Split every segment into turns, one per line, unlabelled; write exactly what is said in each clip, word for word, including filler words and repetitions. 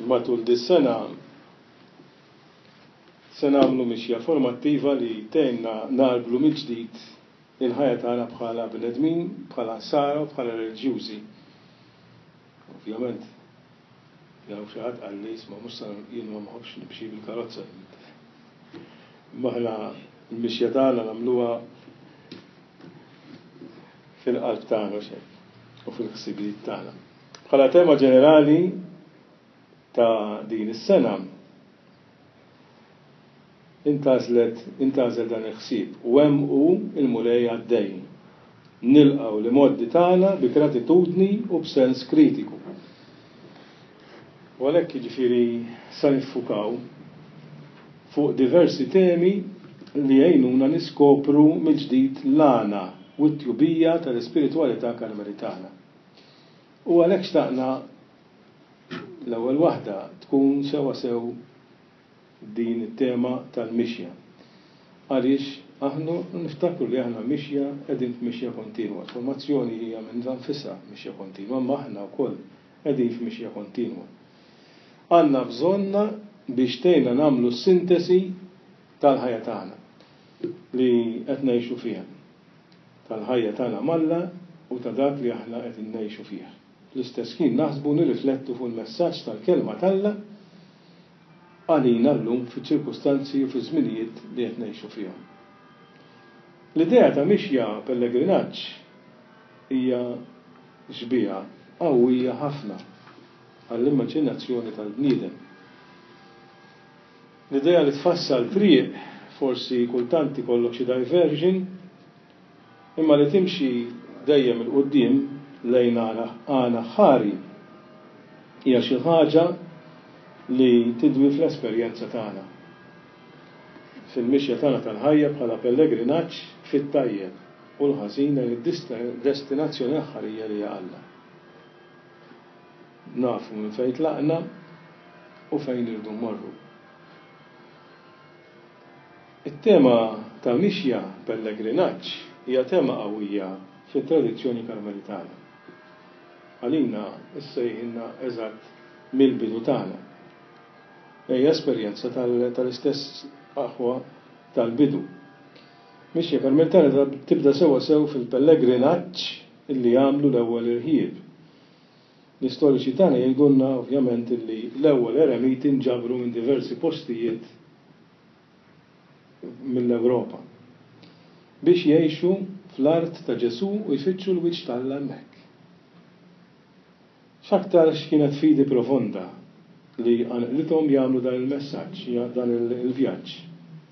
Matul dis-sena se nagħmlu mixja formattiva li tgħinna nagħrblu mill-ġdid il-ħajja tagħna bħala bnedmin, bħala nsara u bħala reliġjużi. Ovvjament, jew xi ħadd qalli isma' mhux sa jien ma nħobbx nimxi bil-karozza. Imma aħna l-mixja tagħna nagħmluha fil-qalb tagħna u fil-ħsibijiet tagħna. Bħala tema ġenerali ta' din is-sena intgħażlet intgħażel dan il-ħsieb u hemm hu l-Mulej għaddej. Nilqgħu l-imgħoddi tagħna bi gratitudni u b'sens kritiku. U għalhekk jiġifieri sa niffukaw fuq diversi temi li jgħinuna niskopru mill-ġdid l-għana u t-tjubija tal-ispiritwalità Karmelitana. U għalhekk xtaqna l-ewwel waħda tkun sewwasew din it-tema tal-mixja. Għaliex aħna niftakru li aħna mixja qegħdin f'mixja kontinwa. L-formazzjoni hija minnha nfisha mixja kontinwa, imma aħna wkoll qegħdin f'mixja kontinwa. Għandna bżonnha biex tgħinna nagħmlu s-sintesi tal-ħajja tagħna li qed ngħixu fiha, tal-ħajja tagħna m'Alla u ta' dak li aħna qegħdin ngħixu fih. Fl-istess ħin naħsbu nirriflettu fuq il-messaġġ tal-Kelma t'Alla għalina llum fiċ-ċirkustanzi u fiż-żminijiet li qed ngħixu fihom. L-idea ta' mixja pellegrinaġġ hija xbieha qawwija ħafna għall-immaġinazzjoni tal-bniedem. L-idea li tfassal triq, forsi kultant ikollok xi diversion, imma li timxi dejjem 'il quddiem lejn għana ħari hija xi ħaġa li tidwi fl-esperjenza tagħna. Fil-mixja tagħna tal-ħajja bħala pellegrinaġġ fit-tajjeb u l-ħażin lejn id-destinazzjoni aħħarija li hija Alla. Nafu minn fejn tlaqna u fejn irridu mmorru. It-tema ta' mixja pellegrinaġġ hija tema qawwija fit-tradizzjoni Karmelitana. Għalina issejħilna eżatt mill-bidu tagħna. Hija esperjenza tal-istess aħwa tal-bidu. Mixja Karmelitana tibda sewwa sew fil-pellegrinaġġ illi għamlu l-ewwel irħieb. L-istoriċi tagħna jgħidulna ovvjament illi l-ewwel eremiti nġabru minn diversi postijiet mill-Ewropa biex jgħixu fl-art ta' Ġesù u jfittxu l-wiċċ t'Alla hemmhekk. X'aktarx kienet fidi profonda li qanqlithom jagħmlu dan il-messaġġ, dan il-vjaġġ,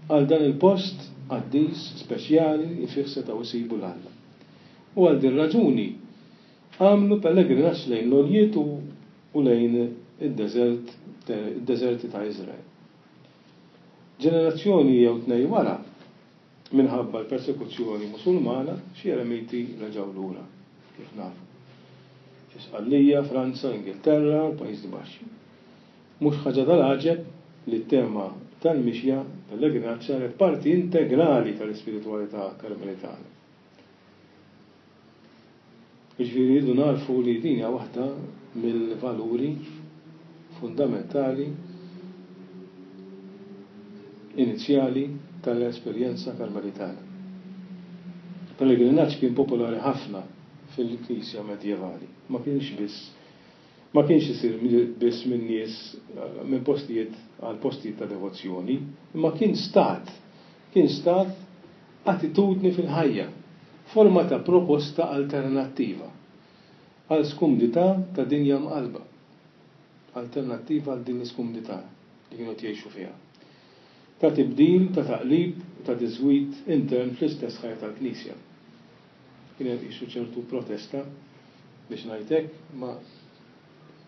għal dan il-post qaddis speċjali li fih setgħu jsibu 'l Alla. U għal din raġuni għamlu pellegrinaġġ lejn l-għoljiet u lejn id-deżert, id-deżerti ta' Iżrael. Ġenerazzjoni jew tnejn wara, minħabba l-persekuzzjoni Musulmana, xi eremiti reġgħu lura, kif nafu. Fi Sqallija, Franza, Ingilterra u l-Pajjiżi Baxxi. Mhux ħaġa tal-għaġeb li t-tema tal-mixja pellegrinaġġ saret parti integrali tal-ispiritwalità Karmelitana. Jiġifieri rridu nagħrfu li din hija waħda mill-valuri fundamentali inizjali tal-esperjenza Karmelitana. Pellegrinaġġ kien popolari ħafna fil-Knisja medjevali. Ma kienx biss ma kienx isir biss minn nies minn postijiet għal postijiet ta' devozzjoni, imma kien stat, kien stat attitudni fil-ħajja, forma ta' proposta alternattiva għal skumdità ta' dinja mqallba. Alternattiva għal din l-iskumdità li kienu jgħixu fiha. Ta' tibdil, ta' taqlib, ta' diżgwid intern fl-istess ħajja tal-Knisja. Kien hemm qisu ċertu protesta biex ngħid hekk, ma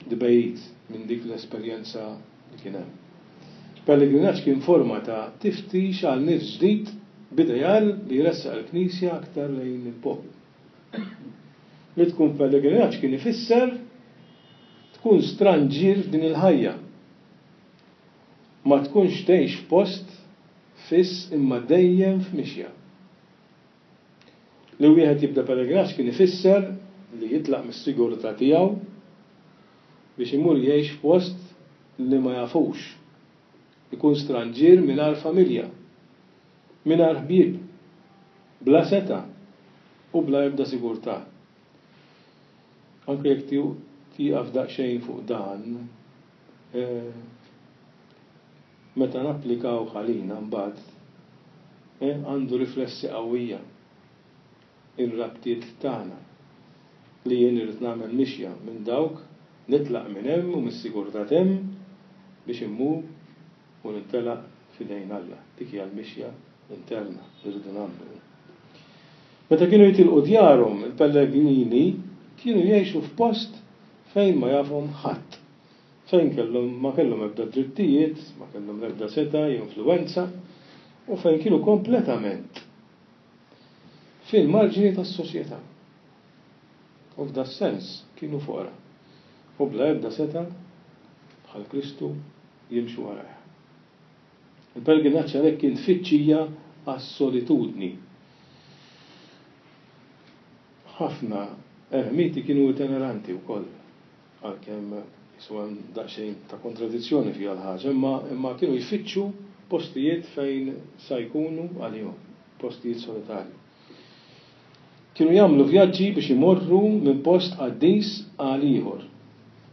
dibejt minn dik l-esperjenza li kien hemm. Pellegrinaġġ kien forma ta' tiftix għal nifs ġdid b'ideal li jressaq il-Knisja aktar lejn il-poplu. Li tkun pellegrinaġġ kien ifisser tkun stranġier f'din il-ħajja. Ma tkunx tgħix f'post fiss imma dejjem f'mixja. Li wieħed jibda pellegrinaġġ kien ifisser li jitlaq mis-sigurtà tiegħu biex imur jgħix f'post li ma jafux. Ikun stranġier mingħajr familja, mingħajr ħbieb, bla seta' u bla ebda sigurtà. Anke jekk tieqaf daqsxejn fuq dan, eh, meta napplikaw ħalina mbagħad eh, għandu riflessi qawwija ir-rabtiet tagħna li jien irid nagħmel mixja minn dawk, nitlaq minn hemm u mis-sigurtà hemm biex immur u nintelaq f'idejn Alla. Dik hija l-mixja interna li rridu nagħmlu. Meta kienu jitilqu djarhom, il-pellegrini kienu jgħixu f'post fejn ma jafhom ħadd. Fejn kellhom ma kellhom ebda drittijiet, ma kellhom ebda seta' jew influwenza u fejn kienu kompletament fil-marġini tas-soċjetà. U f'da sens kienu foqra. U bla ebda seta' bħal Kristu jimxu warajh. Il-pellegrinaġġ għalhekk kien tfittxija għas-solitudni. Ħafna ermiti kienu itineranti wkoll, għalkemm jisu hemm daqsxejn ta' kontradizzjoni fiha l-ħaġa, imma imma kienu jfittxu postijiet fejn sa jkunu għalihom, postijiet solitarji. Kienu jagħmlu vjaġġi biex imorru minn post qaddis għal ieħor,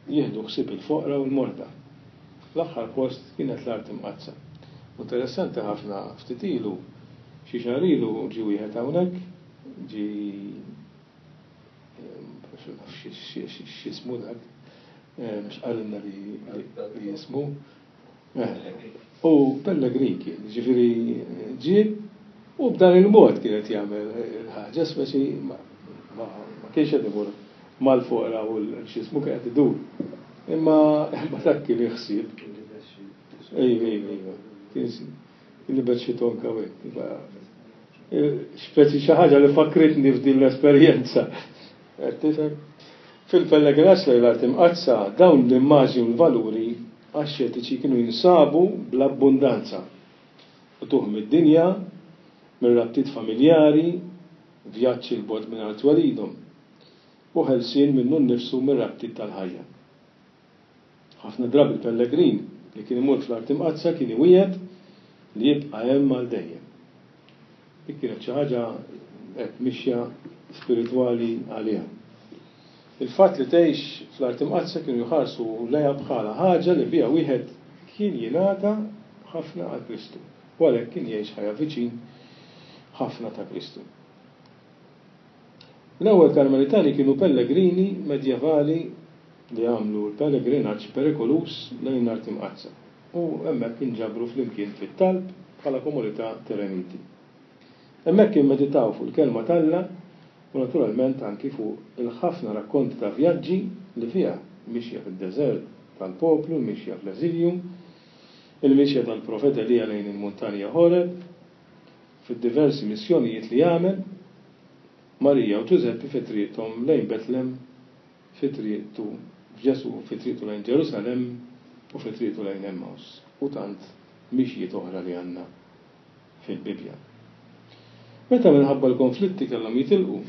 jieħdu ħsieb il-foqra u l-morda. L-aħħar post kienet l-Art Imqaddsa. Interessanti ħafna, ftit ilu, xi xahar ilu ġie wieħed hawnhekk, ġie x'jismu dak, x'qalilna li jismu. U pellegrin kien, ġifieri ġie u b'dan il-mod kienet jagħmel il-ħaġa, speċi ma kienx qed imur mal-foqra u l-x'jismu kien qed idur. Imma dak kien il-ħsieb. Ejwa, ejwa, ejwa. Kien libet xi tonka u hekk. Speċi xi ħaġa li fakritni f'din l-esperjenza. Qed tifhem? Fil-pellegrinaġġ lejn l-Art Imqaddsa dawn l-immaġni u l-valuri axxetiċi kienu jinsabu bl-abbundanza. Qtugħ mid-dinja, mir-rabtiet familjari, vjaġġ 'il bogħod minn art twelidhom, u ħelsien minnu nnifsu mir-rabtiet tal-ħajja. Ħafna drabi l-pellegrin li kien imur fl-Art Imqaddsa kien iwiegħed li jibqa' hemm għal dejjem. Dik kienet xi ħaġa hekk mixja spiritwali għaliha. Il-fatt li tgħix fl-Art Imqaddsa kienu jħarsu lejha bħala ħaġa li biha wieħed kien jingħata ħafna għal Kristu, u għalhekk kien jgħix ħajja viċin ħafna ta' Kristu. L-ewwel Karmelitani kienu pellegrini medjevali li għamlu l-pellegrinaġġ perikoluż lejn l-Art Imqaddsa u hemmhekk inġabru flimkien fit-talb bħala komunità t'eremiti. Hemmhekk immeditaw fuq il-Kelma t'Alla u naturalment anki fuq il-ħafna rakkonti ta' vjaġġi li fiha mixja fid-deżert tal-poplu, il-mixja fl-eżilju, il-mixja tal-profeta Elija lejn il-muntanja Horeb, fid-diversi missjonijiet li għamel, Marija u Ġużeppi fi triqthom lejn Betlem, fi triqtu f'Ġesù, fi triqtu lejn Ġerusalemm u fi triqtu lejn Emmaus, u tant mixjiet oħra li għandna fil-Bibbja. Meta minħabba l-konflitti kellhom jitilqu,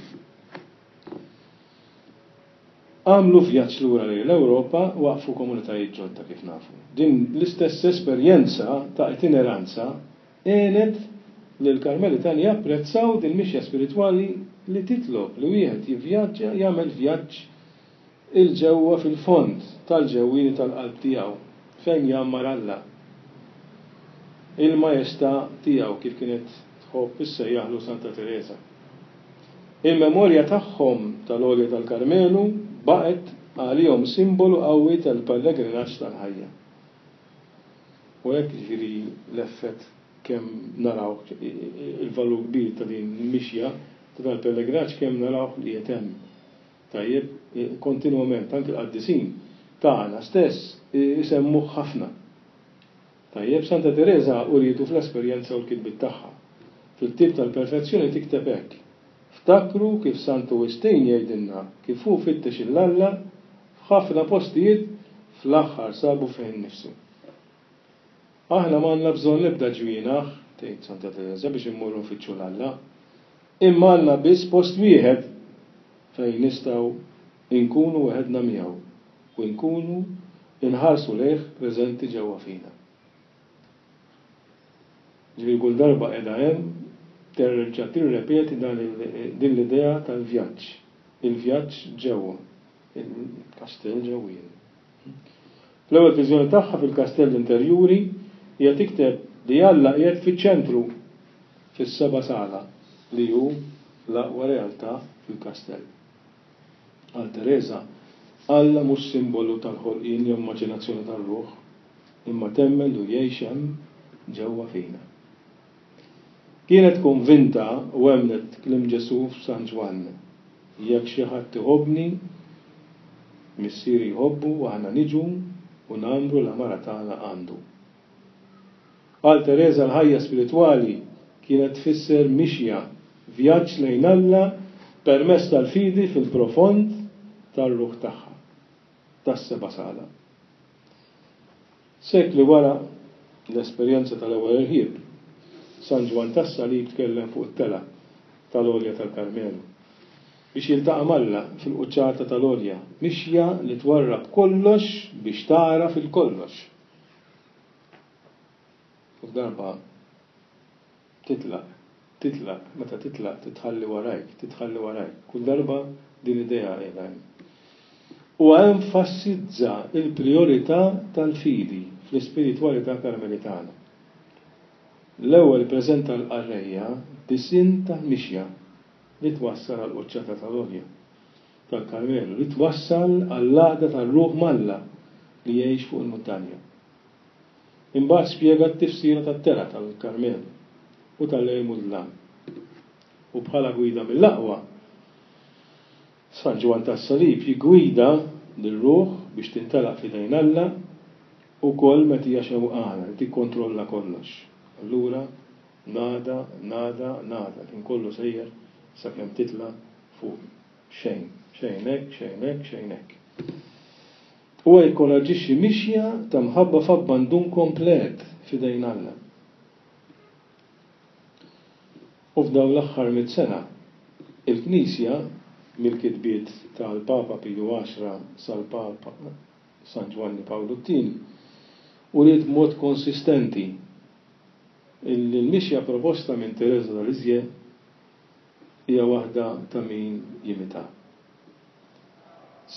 għamlu vjaġġ lura lejn l-Ewropa, waqfu komunitajiet ġodda kif nafu. Din l-istess esperjenza ta' itineranza għenet lill-Karmelitani japprezzaw din mixja spiritwali li titlob li wieħed jivvjaġġa, jagħmel vjaġġ il-ġewwa fil-fond tal-ġewwieni tal-qalb tiegħu fejn jgħammar Alla. Il-Majestà tiegħu kif kienet tħobb issejjaħlu Santa Tereża. Il-memorja tagħhom tal-Għolja tal-Karmelu baqgħet għalihom simbolu qawwi tal-pellegrinaġġ tal-ħajja. U hekk jiġifieri l-effett kemm naraw il-valur kbir ta' din il-mixja ta' dal-pellegrinaġġ kemm narawh li qed hemm. Tajjeb, kontinwament anke l-qaddisin tagħna stess isemmuh ħafna. Tajjeb, Santa Tereża urietu fl-esperjenza u l-kitbiet tagħha. Fil-Ktieb tal-Perfezzjoni tikteb hekk: Ftakru kif Santu Wistin jgħidilna kif hu fittex 'il Alla f'ħafna postijiet fl-aħħar sabu fih innifsu. Aħna m'għandna bżonn l-ebda ġwienaħ, tgħid Santa Tereża, biex immorru nfittxu 'l Alla, imma għandna biss post wieħed fejn nistgħu nkunu weħedna miegħu u nkunu Inħarsu lejh preżenti ġewwa fina. Ġifieri kull darba qiegħda hemm terġa' tirrepeti dan din l-idea tal-vjaġġ. Il-vjaġġ ġewwa, il-kastell ġewwieni. Fl-ewwel viżjoni tagħha fil-kastell interjuri hija tikteb li Alla qiegħed fiċ-ċentru fis-seba' sala li hu l-aqwa realtà fil-kastell. Għal Tereża, Alla mhux simbolu tal-ħolqien jew immaġinazzjoni tar-ruħ, imma temmen li jgħix hemm ġewwa fina. Kienet konvinta u emmnet kliem Ġesù f'San Ġwann, jekk xi ħadd iħobbni, Missieri jħobbu u aħna niġu u nagħmlu l-għamara tagħna għandu. Għal Tereża l-ħajja spiritwali kienet tfisser mixja, vjaġġ lejn Alla permezz tal-fidi fil-profond tar-ruħ tagħha, tas-seba' sala. Sekli wara l-esperjenza tal-ewwel irħieb, San Ġwann tas-Salib tkellem fuq it-tela tal-Għolja tal-Karmelu biex jiltaqa' m'Alla fil-quċċata tal-Għolja, mixja li twarrab kollox biex tara fil-kollox. U darba titlaq, titlaq, meta titlaq titħalli warajk, titħalli warajk. Kull darba din l-idea qiegħda hemm. U enfasizza il-priorità tal-fidi fl-ispiritwalità karmelitana. L-ewwel preżenta l-qarrejja disinn tal-mixja li twassal għal quċċata tal-Għolja tal-Karmelu, li twassal għall-għaqda tar-ruħ m'Alla li jgħix fuq il-muntanja. Imbagħad spjega t-tifsira tat-tela tal-Karmelu u tal-lejl mudlam. U bħala gwida mill-aqwa, San Ġwann tas-Salib jiggwida lir-ruħ biex tintelaq f'idejn Alla ukoll meta hija xewqana li tikkontrolla kollox. Allura nada, nada, nada, kien kollu sejjer sakemm titla' fuq xejn, xejn hekk, xejn hekk, xejn hekk. Huwa jikkoraġġixxi mixja ta' mħabba f'abbandun komplet f'idejn Alla. U f'dawn l-aħħar mitt sena, il-Knisja mill-kitbiet tal-Papa Piju Għaxra sal-Papa San Ġwanni Pawlu t-Tieni uriet b'mod konsistenti illi l-mixja proposta minn Tereża ta' Lisieux hija waħda ta' min jimita.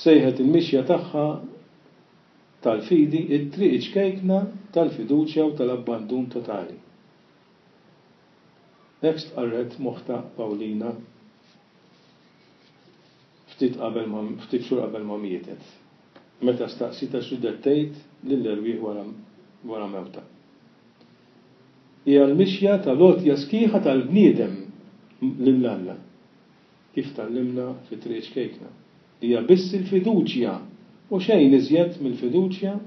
Sejħet il-mixja tagħha tal-fidi it-triq ċkejkna tal-fiduċja u tal-abbandun totali. Hekk stqarret moħta Pawlina ftit qabel ma, ftit xhur qabel ma mietet, meta staqsitha x'ridet tgħid lill-erwieħ wara, wara mewta. Hija l-mixja tal-għotja sħiħa tal-bniedem lil Alla, kif tgħallimna fit-triq ċkejkna. Hija biss il-fiduċja u xejn iżjed mill-fiduċja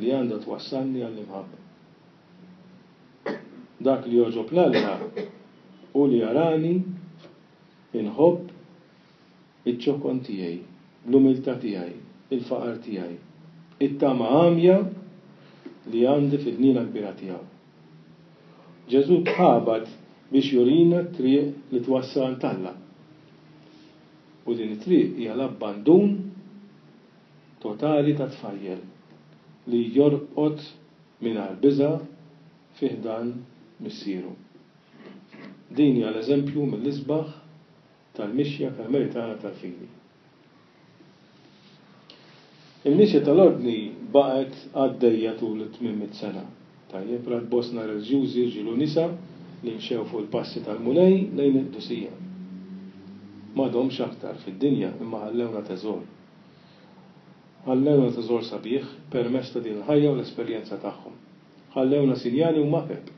li għandha twassalni għall-imħabba. Dak li jogħġob 'l Alla u li jarani inħobb iċ-ċokon tiegħi, l-umiltà tiegħi, il-faqar tiegħi, it-tama għamja li għandi fil-ħniena kbira tiegħu. Ġesù tħabat biex jurina t-triq li twassal għand Alla. U din it-triq hija l-abbandun totali ta' tfajjel li jorqod mingħajr biża' fi ħdan missieru. Din hija l-eżempju mill-isbaħ tal-mixja karmelitana tal-fidi. Il-mixja tal-ordni baqgħet għaddejja tul it-tmien mitt sena. Tajjeb, rat bosta reliġjużi rġiel u nisa li mxew fuq il-passi tal-Mulej lejn il-qdusija. M'għadhomx aktar fid-dinja imma ħallewna teżor. Ħallewna teżor sabiħ permezz ta' din il-ħajja u l-esperjenza tagħhom. Ħallewna sinjali u mapep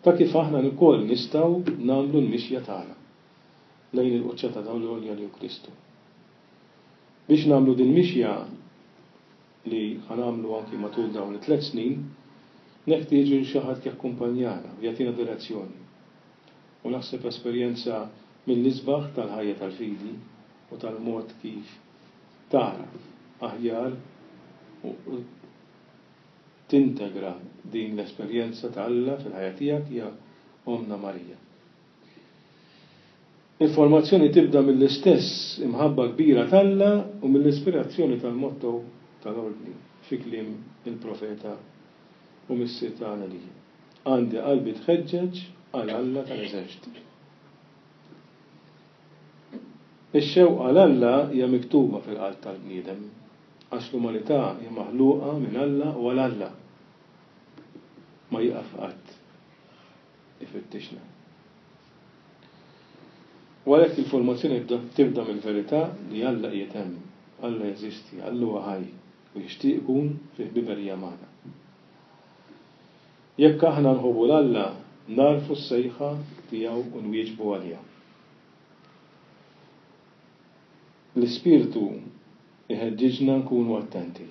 ta' kif aħna wkoll nistgħu nagħmlu l-mixja tagħna lejn il-quċċata tal-għolja li hu Kristu. Biex nagħmlu din mixja li ħanagħmlu anki matul dawn it-tliet snin, neħtieġu xi ħadd jakkumpanjana u jagħtina direzzjoni. U naħseb esperjenza mill-isbaħ tal-ħajja tal-fidi u tal-mod kif tara aħjar u tintegra din l-esperjenza ta' Alla fil-ħajja tiegħek hija Omna Marija. Il-formazzjoni tibda mill-istess imħabba kbira t'Alla u mill-ispirazzjoni tal-motto tal-ordni, fi kliem il-profeta u missier tagħna li għandi qalbi tħeġġeġ għal Alla tal-eżerċti. Ix-xewqa għal Alla hija miktuba fil-qalb tal-bniedem, għax l-umanità hija maħluqa minn Alla u għal Alla. Ma jieqaf qatt ifittixna. U għalhekk il-formazzjoni tibda mill-verità li Alla qiegħed hemm, Alla jeżisti, Alla huwa ħaj u jixtieq ikun fi ħbiberija magħna. Jekk aħna nħobbu 'l Alla, narfu s-sejħa tiegħu u nwieġbu għaliha. L-Ispirtu iħeġġiġna nkunu attenti,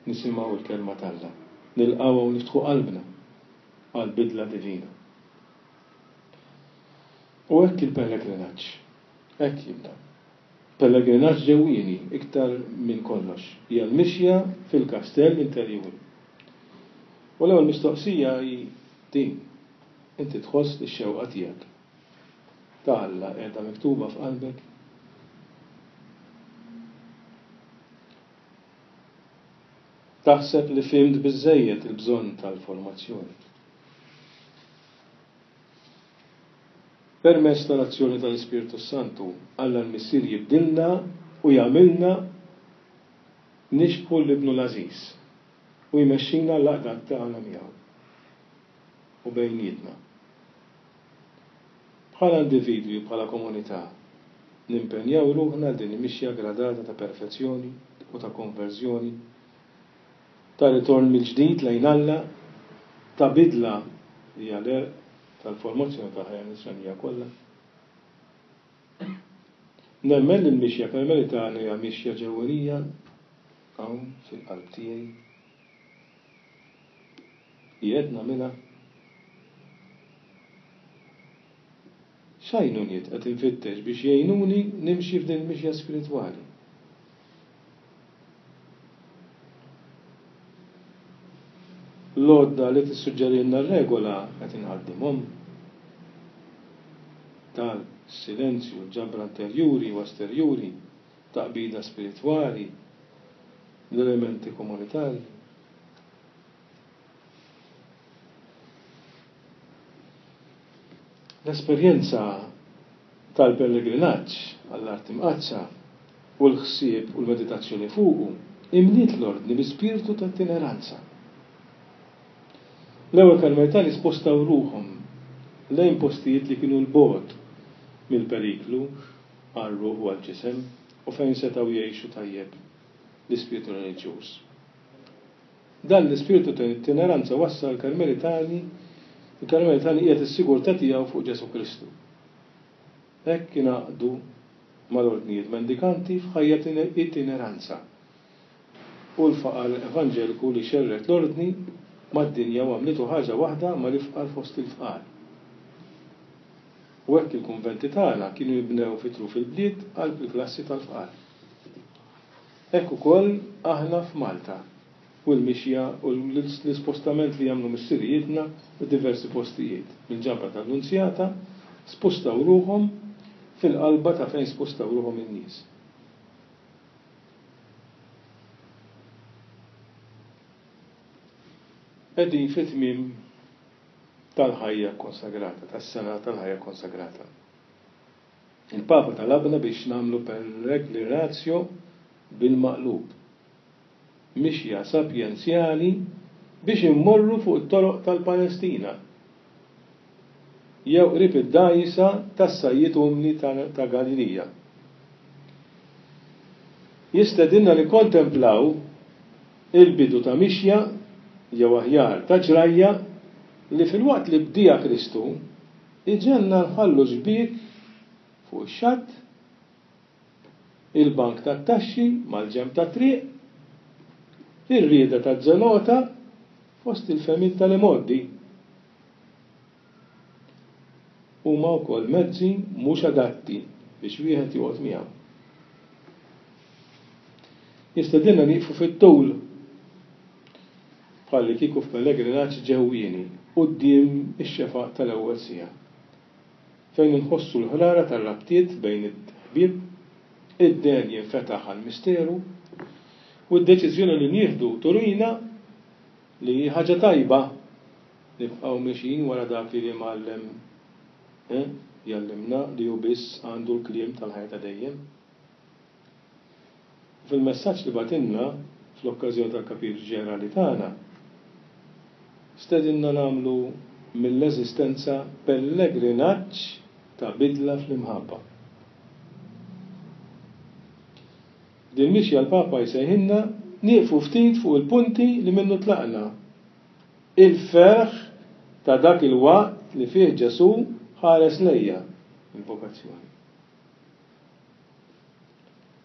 nisimgħu l-kelma t'Alla, nilqgħuha u niftħu qalbna għal bidla divina. U hekk il-pellegrinaġġ, hekk jibda. Pellegrinaġġ ġewwieni iktar minn kollox, hija l-mixja fil-kastell interjuri. U l-ewwel mistoqsija hi din: inti tħoss li x-xewqa tiegħek ta' Alla qiegħda miktuba f'qalbek? Taħseb li fhimt biżżejjed il-bżonn tal-formazzjoni? Permezz tal-azzjoni tal-Ispirtu Santu, Alla l-Missier jibdilna u jagħmilna nixbħu l-Ibnu l-Għażiż u jmexxina l-għaqda tagħna miegħu u bejnietna. Bħala individwi, bħala komunità, nimpenjaw ruħna għal din il-mixja gradata ta' perfezzjoni u ta' konverżjoni, ta' ritorn mill-ġdid lejn Alla, ta' bidla li hija l-għerq tal-formazzjoni tal-ħajja nisranija kollha. Nemmen li l-mixja karmelitana hija mixja ġewwenija hawn fil-qalb tiegħi. Qiegħed nagħmilha. X'għajnuniet qed infittex biex jgħinuni nimxi f'din il-mixja spiritwali? L-għodda li tissuġġerilna r-regola qed inħaddimhom? Talb, silenzju, ġabra interjuri u esterjuri, taqbida spiritwali, l-elementi komunitarji. L-esperjenza tal-pellegrinaġġ għall-Art Imqaddsa u l-ħsieb u l-meditazzjoni fuqu imliet l-ordni bi spirtu ta' itineranza. L-ewwel Karmelitani spostaw ruħhom lejn postijiet li kienu l-bogħod mill-periklu għar-ruħ u għall-ġisem u fejn setgħu jgħixu tajjeb l-ispirtu reliġjuż. Dan l-ispirtu ta' itineranza wassal Karmelitani, il-Karmelitani qiegħed is-sigurtà tiegħu fuq Ġesù Kristu. Hekk ingħaqdu mal-ordnijiet mendikanti f'ħajja itineranza u l-faqar evanġeliku li xerred l-ordni mad-dinja u għamlitu ħaġa waħda mal-ifqar fost il-fqar. U hekk il-kunventi tagħna kienu jibnew fi truf il-bliet qalb il-klassi tal-fqar. Hekk ukoll aħna f'Malta u l-mixja u l-ispostament li jagħmlu missirijietna f'diversi postijiet. Mill-ġabra tal-Lunzjata spostaw ruħhom fil-qalba ta' fejn spostaw ruħhom in-nies. Qegħdin fi tmiem tal-ħajja konsagrata, tas-sena tal-ħajja konsagrata. Il-Papa talabna biex nagħmlu pellegrinatio bil-maqlub, mixja sapjenzjali biex immorru fuq it-toroq tal-Palestina, jew qrib id-dgħajsa tas-sajjied umli ta' Galilija. Jistedinna nikkontemplaw il-bidu ta' mixja jew aħjar ta' ġrajja li fil-waqt li bdija Kristu iġenna nħallu xbiek fuq ix-xatt, il-bank tat-taxxi mal-ġenb tat-triq, ir-rieda taż-żelota fost il-fehmiet tal-imgħoddi. Huma wkoll mezzi mhux adatti biex wieħed joqgħod miegħu. Jistedinna nieqfu fit-tul bħalli kieku f'pellegrinaġġ ġewwieni quddiem ix-xefaq tal-ewwel siegħa, fejn inħossu l-ħrara tar-rabtiet bejn it-ħbieb, id-den jinfetaħ għall-misteru, U d-deċiżjoni li nieħdu turina li ħaġa tajba nibqgħu mexjin wara dak li l-Imgħallem eh, jgħallimna li hu biss għandu l-kliem tal-ħajja ta' dejjem. Fil-messaġġ li bagħtilna fl-okkażjoni tal-Kapitlu Ġenerali tagħna, stedinna nagħmlu mill-eżistenza pellegrinaġġ ta' bidla fl-imħabba. Din mixja l-Papa jsejħilna nieqfu ftit fuq il-punti li minnu tlaqna. Il-ferħ ta' dak il-waqt li fih Ġesù ħares lejja, il-vokazzjoni.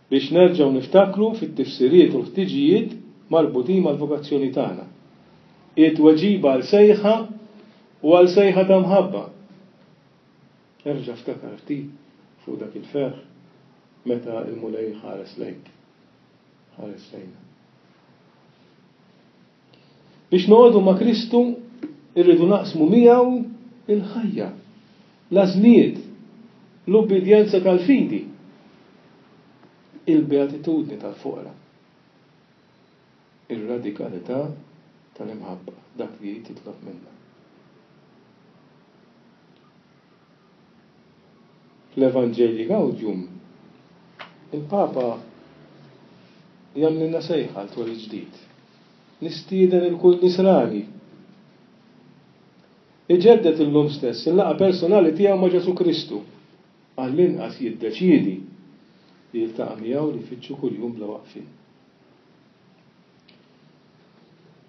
Biex nerġgħu niftakru fit-tifsiriet u l-ħtiġijiet marbutin mal-vokazzjoni tagħna. It-tweġiba għal sejħa u għal sejħa ta' mħabba. Erġa' ftakar ftit fuq dak il-ferħ meta l-Mulej ħares lejk. Ħares lejna. Biex noqogħdu ma' Kristu irridu naqsmu miegħu il-ħajja, l-għażliet, l-ubbidjenza tal-fidi, il-beatitudni tal-foqra, ir-radikalità tal-imħabba, dak li titlob minna. Fl-Evangelii Gaudium, il-Papa jagħmlilna sejħa għal twelid ġdid. Nistieden il-kull nisrani. Iġeddet illum stess il-laqgħa personali tiegħu ma' Ġesù Kristu, għall-inqas jiddeċiedi li jiltaqa' miegħu li jfittxu kuljum bla waqfien.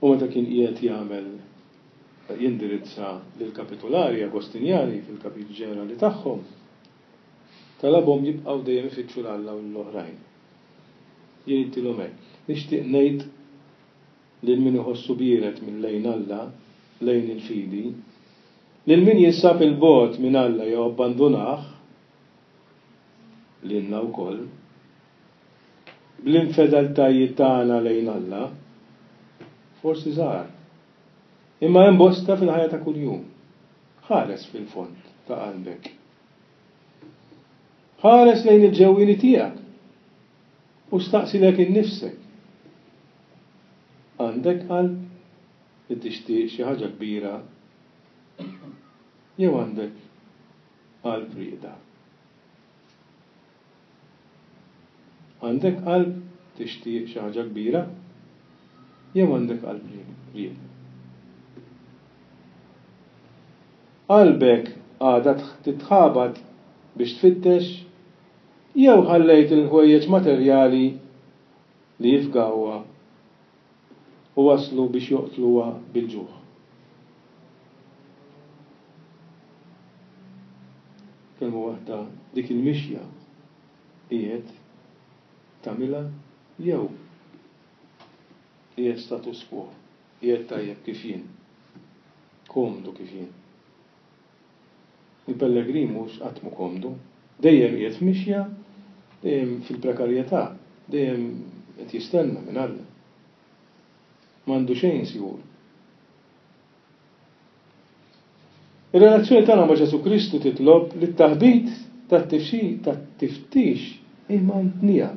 U meta kien qiegħed jagħmel jindirizza lill-kapitulari Agostinjani fil-kapitlu ġenerali tagħhom, talabhom jibqgħu dejjem ifittxu 'l Alla u l-oħrajn. Jien intilhom hekk. Nixtieq ngħid lil min iħossu biered minn lejn Alla, lejn il-fidi, lil min jinsab il-bogħod minn Alla jew abbandunah, lilna wkoll, bl-infedeltajiet tagħna lejn Alla, forsi żgħar, imma hemm bosta fil-ħajja ta' kuljum. Ħares fil-fond ta' qalbek. Ħares lejn il-ġewwieni tiegħek u staqsilek innifsek. Għandek qalb li tixtieq xi ħaġa kbira jew għandek qalb rieqda? Għandek qalb tixtieq xi ħaġa kbira jew għandek qalb rieqda? Qalbek għadha titħabat biex tfittex jew ħallejt il-ħwejjeġ materjali li jifgawha u waslu biex joqtluha bil-ġuħ. Kelma waħda, dik il-mixja qiegħed tagħmilha jew qiegħed status quo, qiegħed tajjeb kif jien, komdu kif jien. Il-pellegrin mhux qatt mu komdu, dejjem qiegħed f'mixja, dejjem fil-prekarjetà, dejjem qed jistenna minn Alla. M'għandu xejn sigur. Ir-relazzjoni tagħna ma' Ġesù Kristu titlob li t-taħbit tat-tiftix imantnija.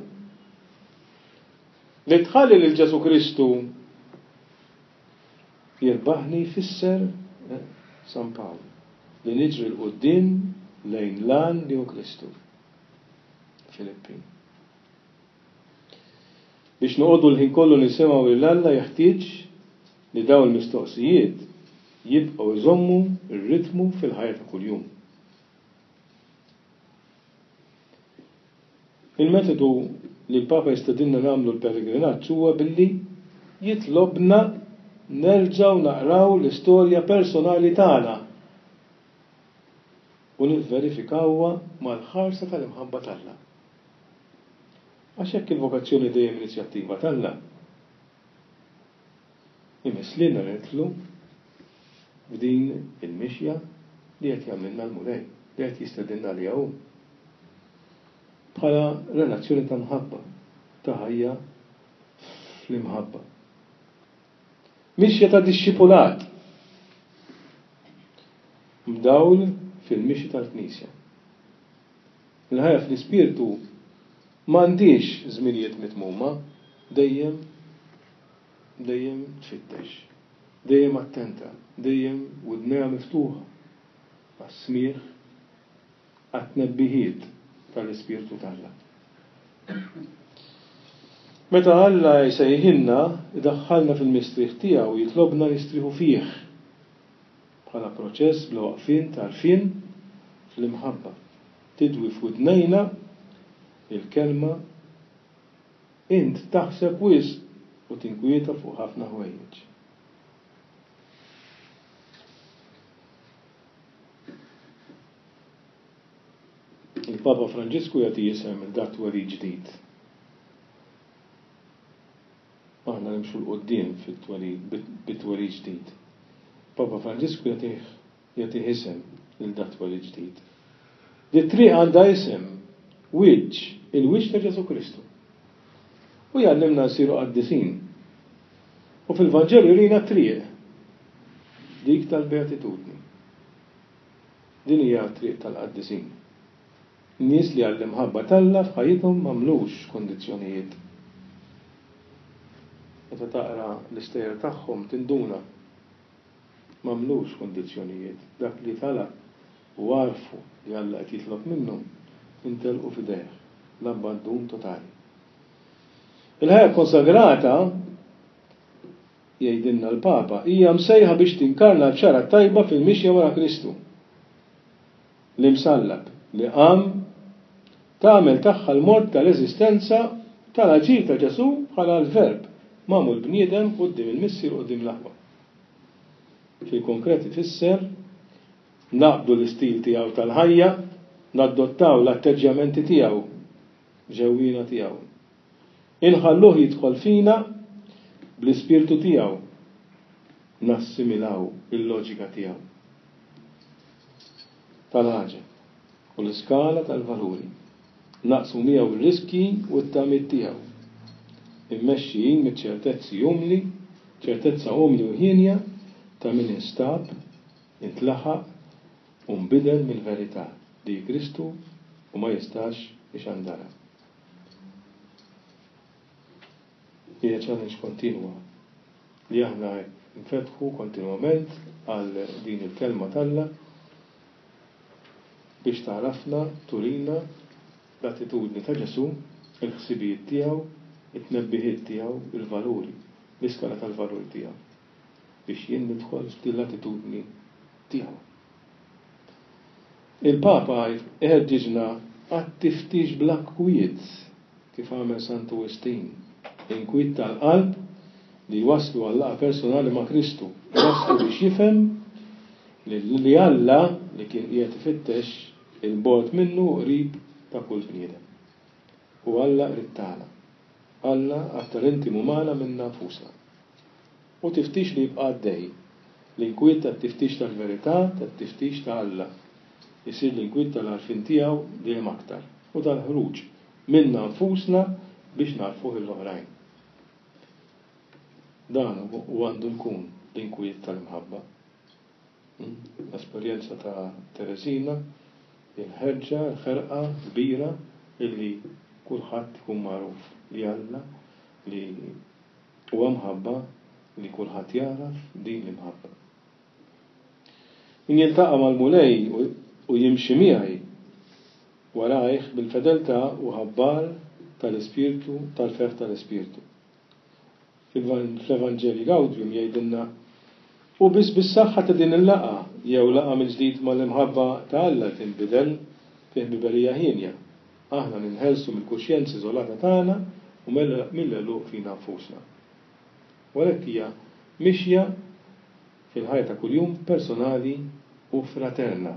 Li tħalli lil Ġesù Kristu jirbaħni jfisser eh, San Pawl li niġri 'l quddiem lejn l-għan li hu Kristu. Filippin. Biex noqogħdu l-ħin kollu nisimgħu lil Alla jeħtieġ li dawn il-mistoqsijiet jibqgħu jżommu r-ritmu fil-ħajja ta' kuljum. Il-metodu li l-Papa jistedinna nagħmlu l-pellegrinaġġ huwa billi jitlobna nerġgħu naqraw l-istorja personali tagħna u nivverifikawha mal-ħarsa tal-imħabba t'Alla. Għax hekk il-vokazzjoni dejjem inizjattiva t'Alla. Imiss lilna nidħlu f'din il-mixja li qed jagħmlilna l-Mulej, li qed jistedinna għaliha hu. Bħala relazzjoni ta' mħabba, ta' ħajja fl-imħabba. Mixja ta' dixxipulat mdawl fil-mixi tal-Knisja. Il-ħajja fl-Ispirtu m'għandix żminijiet mitmuma, Dejjem, dejjem tfittex, dejjem attenta, dejjem widnejha miftuħa għas-smigħ, għat-tnebbiħiet tal-Ispirtu t'Alla. Meta Alla jsejħilna, idaħħalna fil-mistrieħ tiegħu, jitlobna nistrieħu fih bħala proċess bla waqfien t'għarfien fl-imħabba. Tidwi f'widnejna il-kelma int taħseb wisq u tinkwieta fuq ħafna ħwejjeġ. Il-Papa Franġisku jagħti isem il dat twelid ġdid. Aħna nimxu 'l quddiem fit-twelid bit-twelid ġdid. Papa Franġisku jagħtih jagħtih isem lil dat twelid ġdid. Di triq għandha isem, wiċċ, il-wiċċ ta' Ġesù Kristu. U jgħallimna nsiru qaddisin. U fil-Vanġelu jurina triq, dik tal-beatitudni. Din hija triq tal-qaddisin. Nies li għall-imħabba t'Alla f'ħajjithom m'għamlux kondizzjonijiet. Meta taqra l-istejjer tagħhom tinduna m'għamlux kondizzjonijiet. Dak li talab u għarfu li Alla qed jitlob minnhom intelqu f'idejh, l-abbandun totali. Il-ħajja konsagrata, jgħidilna l-Papa, hija msejħa biex tinkarna l-bxara tajba fil-mixja wara Kristu. L-imsallab li qam tagħmel tagħha l-mod tal-eżistenza tal-aġir ta' Ġesù bħala l-Verb magħmul bniedem quddiem il-Missier u quddiem l-aħwa. Fil-konkret ifisser naqbdu l-istil tiegħu tal-ħajja, nadottaw l-atteġġjamenti tiegħu ġewwina tiegħu. Inħalluh jidħol fina bl-ispirtu tiegħu, nassimilaw il-loġika tiegħu tal-ħaġa u l-iskala tal-valuri. Naqsmu miegħu r-riski u t-tamiet tiegħu. Immexxijin miċ-ċertezzi umli, ċertezza umli u ħienja ta' min instab, intlaħaq u nbidel mill-verità li Kristu u ma jistax ixandarha. Hija challenge kontinwa li aħna nfetħu kontinwament għal din il-kelma t'Alla biex tagħrafna, turina l-attitudni ta' Ġesù, il-ħsibijiet tiegħu, it-tnebbiħiet tiegħu, il-valuri, l-iskala tal-valuri tiegħu, biex jien nidħol f'din l-attitudni tiegħu. Il-Papa iħeġġiġna għat-tiftix bla kwiet, kif għamel Santu Wistin, inkwiet tal-qalb li waslu għal laqgħa personali ma' Kristu, waslu biex jifhem li Alla li kien qiegħed ifittex il-bogħod minnu qrib ta' kull bniedem. U Alla qrib tagħna. Alla aktar intimu magħna minna nfusna. U tiftix li jibqa' għaddej, l-inkwiet tat-tiftix tal-verità, tat-tiftix ta' Alla. Isir l-inkwiet tal-għarfien tiegħu dejjem aktar u tal-ħruġ minna nfusna biex narfuh l-oħrajn. Dan u għandu jkun l-inkwiet tal-imħabba. L-esperjenza ta' Teresina, il-ħerġa, il-ħerqa kbira illi kulħadd ikun magħruf li Alla li huwa mħabba li kulħadd jaraf din l-imħabba. Min jiltaqa' mal-Mulej u jimxi miegħi warajh bil-fedeltà u ħabbar tal-Ispirtu, tal-ferħ tal-Ispirtu. Fl-Evanġelju Gaudium jgħidilna u biss bis-saħħa ta' din il-laqgħa jew laqgħa mill-ġdid mal-imħabba ta' Alla tinbidel fi ħbiberija ħienja. Aħna ninħelsu mill-kuxjenza iżolata tagħna u mill-għeluq fina nfusna. U għalhekk hija mixja fil-ħajja ta' kuljum personali u fraterna.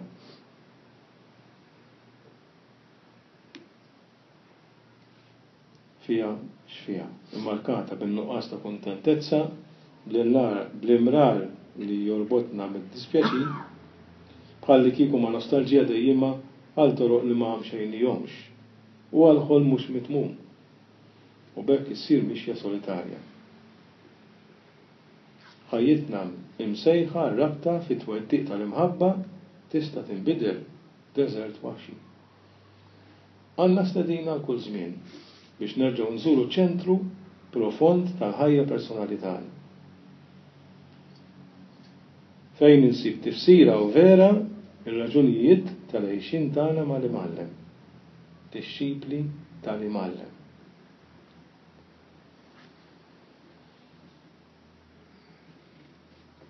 Fija x'fija, immarkata bin-nuqqas ta' kuntentezza, bl-imrar li jorbotna mid-dispjaċir, bħal li kieku ma' nostalġija dejjima għal toroq li ma mxejnihomx u għal ħolm mhux mitmum. U b'hekk issir mixja solitarja. Ħajjitna imsejħa rabta fit-twettiq tal-imħabba tista' tinbidel f'deżert waħxi. Għandna stedina għal kull żmien biex nerġgħu nżuru ċentru profond tal-ħajja personali tagħna. Fejn insib tifsira u vera ir-raġunijiet tal-għixien tagħna mal-Imgħallem, dixxipli tal-Imgħallem.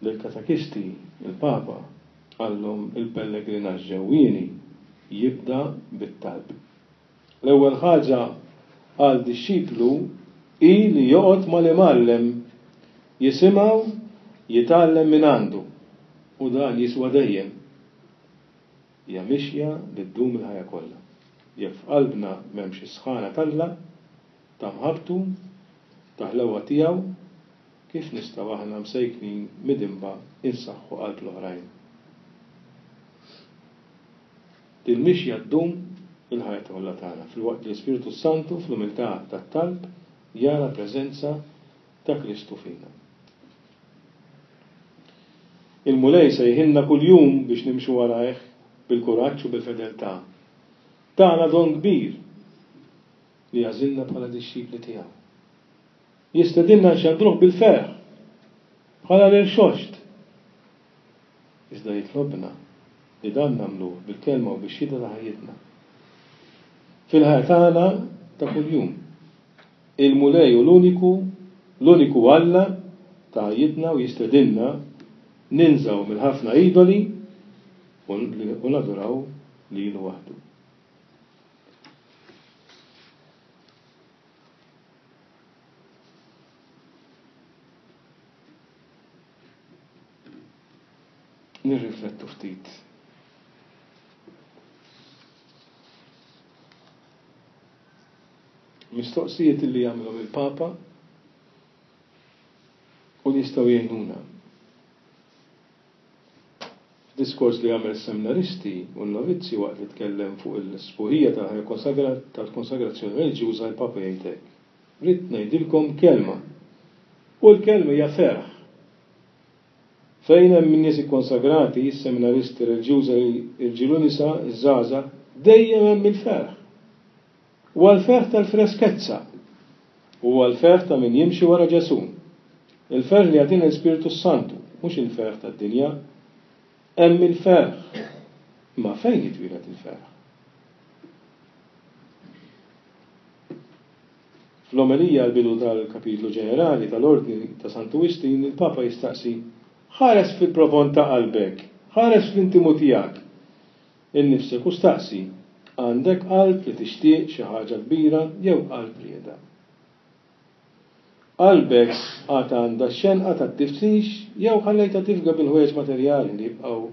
Lill-katekisti, il-Papa qallhom il-pellegrinaġġ ġewwieni jibda bit-talb. L-ewwel ħaġa għal dixxiplu hi li joqgħod mal-Imgħallem, jisimgħu, jitgħallem minn għandu, u dan jiswa dejjem. Hija mixja li ddum il-ħajja kollha. Jekk f'qalbna m'hemmx is-sħana t'Alla, ta' mħabbtu, ta' ħlewwa tiegħu, kif nistgħu aħna msejknin midinba insaħħu qalb l-oħrajn? Dil-mixja ddum il-ħajja kollha tagħna, filwaqt li l-Ispirtu Santu fl-umiltà tat-talb jara preżenza ta' Kristu fina. Il-Mulej sejħilna kuljum biex nimxu warajh bil-kuraġġ u bil-fedeltà. Tana don kbir li għażilna bħala dixxipli tiegħu. Jistedinna nxandruh bil-ferħ bħala l-irxoxt. Iżda jitlobna li dan nagħmluh bil-kelma u bix-xhieda ta' ħajjitna. Fil-ħajja tagħna ta' kuljum. Il-Mulej hu l-uniku, l-uniku Alla ta' ħajjitna u jistedinna ninżaw mill-ħafna idoli u naduraw lilu waħdu. Nirriflettu ftit. Mistoqsijiet li jagħmilhom il-Papa u li jistgħu jgħinuna. Diskors li għamel seminaristi u n-novizzi waqt li tkellem fuq il-sbuħija tal-konsagrazzjoni reliġjuża, il-Papa jgħid hekk: Ridt ngħidilkom kelma, u l-kelma hija ferħ. Fejn hemm nies ikkonsagrati, seminaristi reliġjużi, irġiel u nisa, iż-żgħażagħ, dejjem hemm il-ferħ. Huwa l-ferħ tal-freskezza, huwa l-ferħ ta' min jimxi wara Ġesù. Il-ferħ li jagħtina l-Ispirtu Santu, mhux il-ferħ tad-dinja. Hemm il-ferħ. Ma fejn jitwieled il-ferħ? Fl-omelija għall-bidu tal-kapitlu ġenerali tal-Ordni ta' Santu Wistin, il-Papa jistaqsi: ħares fil-profond ta' qalbek, ħares fl-intimu tiegħek innifsek u staqsi, għandek qalb li tixtieq xi ħaġa kbira jew qalb rieda? Qalbek għad għandha x-xenqa tat-tiftix jew ħallejtha tifga bil-ħwejjeġ materjali li jibqgħu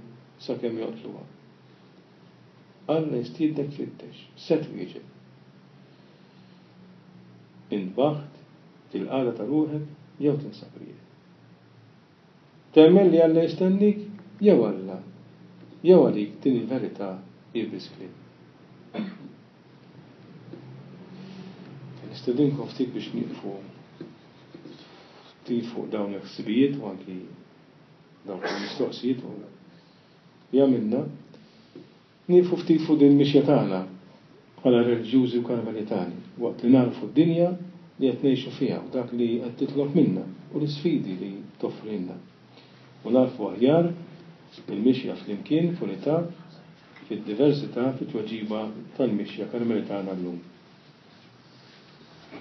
sakemm joqtluha? Alla jistiednek tfittex, se twieġeb. Intbaħt til-qagħda ta' ruħek jew tinsab ried. Temmen li Alla jistennik jew Alla jew għalik din il-verità hi biss kliem. Nistedinkom ftit biex nieqfu ftit fuq dawn il-ħsibijiet u anki dawn il-mistoqsijiet u li għamilna, nieqfu ftit fuq din il-mixja tagħna bħala reliġjużi u karmelitani, waqt li nagħrfu d-dinja li qed ngħixu fiha u dak li qed titlob minna u l-isfidi li toffrilna. U nagħrfu aħjar il-mixja flimkien f'unità, fid-diversità, fit-tweġiba tal-mixja karmelitana llum.